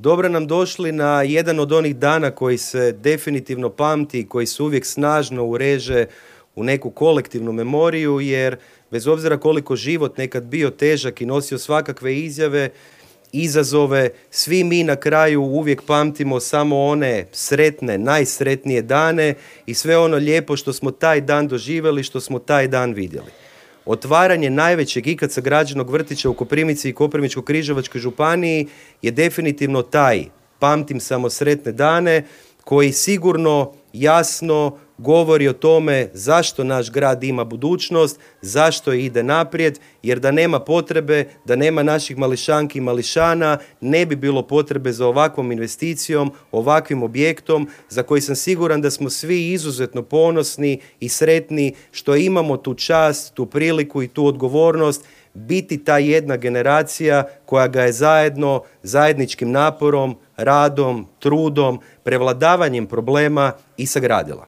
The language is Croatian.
dobro nam došli na jedan od onih dana koji se definitivno pamti i koji se uvijek snažno ureže u neku kolektivnu memoriju, jer bez obzira koliko život nekad bio težak i nosio svakakve izjave, izazove, svi mi na kraju uvijek pamtimo samo one sretne, najsretnije dane i sve ono lijepo što smo taj dan doživjeli, što smo taj dan vidjeli. Otvaranje najvećeg ikad sagrađenog vrtića u Koprivnici i Koprivničko-križevačkoj županiji je definitivno taj, pamtim samo sretne dane, koji sigurno jasno govori o tome zašto naš grad ima budućnost, zašto ide naprijed, jer da nema potrebe, da nema naših mališanki i mališana, ne bi bilo potrebe za ovakvom investicijom, ovakvim objektom, za koji sam siguran da smo svi izuzetno ponosni i sretni što imamo tu čast, tu priliku i tu odgovornost biti ta jedna generacija koja ga je zajedno, zajedničkim naporom, radom, trudom, prevladavanjem problema i sagradila.